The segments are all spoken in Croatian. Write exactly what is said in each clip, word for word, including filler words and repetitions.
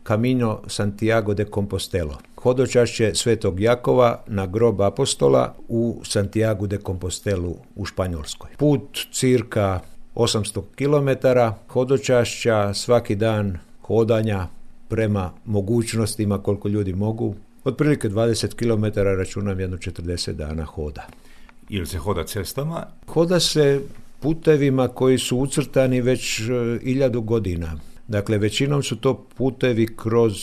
Camino Santiago de Compostelo, hodočašće Svetog Jakova na grob apostola u Santiago de Compostelu u Španjolskoj. Put cirka osamsto kilometara hodočašća, svaki dan hodanja prema mogućnostima koliko ljudi mogu. Otprilike dvadeset kilometara, računam jedno četrdeset dana hoda. Ili se hoda cestama? Hoda se putevima koji su ucrtani već hiljadu godina. Dakle, većinom su to putevi kroz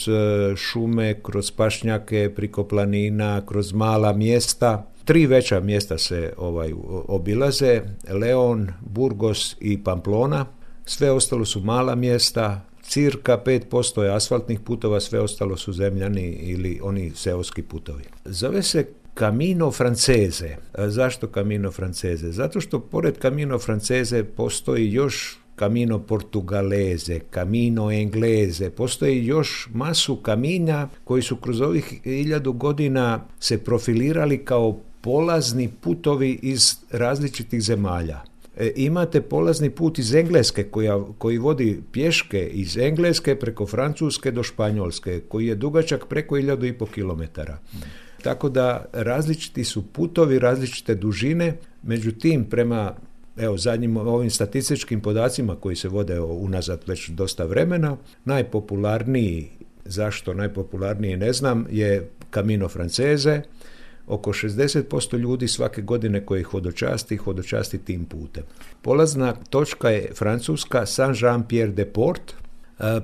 šume, kroz pašnjake, priko planina, kroz mala mjesta. Tri veća mjesta se ovaj obilaze, Leon, Burgos i Pamplona. Sve ostalo su mala mjesta, cirka pet posto je asfaltnih putova, sve ostalo su zemljani ili oni seoski putovi. Zove se Camino Francese. Zašto Camino Francese? Zato što pored Camino Francese postoji još Camino Portugalese, Camino Englese, postoji još masu kaminja koji su kroz ovih hiljadu godina se profilirali kao polazni putovi iz različitih zemalja. E, imate polazni put iz Engleske koja, koji vodi pješke iz Engleske preko Francuske do Španjolske, koji je dugačak preko hiljadu i pol kilometara. Tako da različiti su putovi, različite dužine, međutim prema evo, zadnjim ovim statističkim podacima koji se vode unazad već dosta vremena, najpopularniji, zašto najpopularniji ne znam, je Camino Francese. Oko šezdeset posto ljudi svake godine koji hodočasti, hodočasti tim putem. Polazna točka je Francuska Saint-Jean-Pierre-de-Port.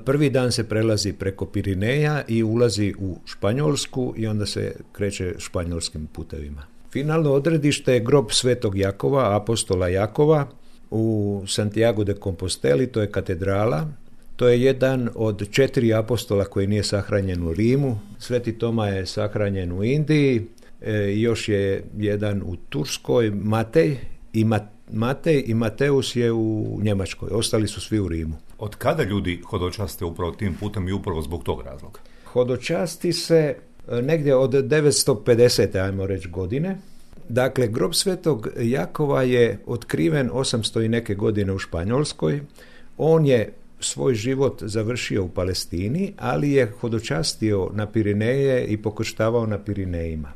Prvi dan se prelazi preko Pirineja i ulazi u Španjolsku i onda se kreće španjolskim putevima. Finalno odredište je grob Svetog Jakova, apostola Jakova u Santiago de Composteli, to je katedrala. To je jedan od četiri apostola koji nije sahranjen u Rimu. Sveti Toma je sahranjen u Indiji, e, još je jedan u Turskoj, Matej i Mat, Matej i Mateus je u Njemačkoj. Ostali su svi u Rimu. Od kada ljudi hodočaste upravo tim putem i upravo zbog tog razloga? Hodočasti se negdje od devetsto pedesete ajmo reći godine. Dakle, grob Svetog Jakova je otkriven osamsto i neke godine u Španjolskoj. On je svoj život završio u Palestini, ali je hodočastio na Pirineje i pokrštavao na Pirinejima.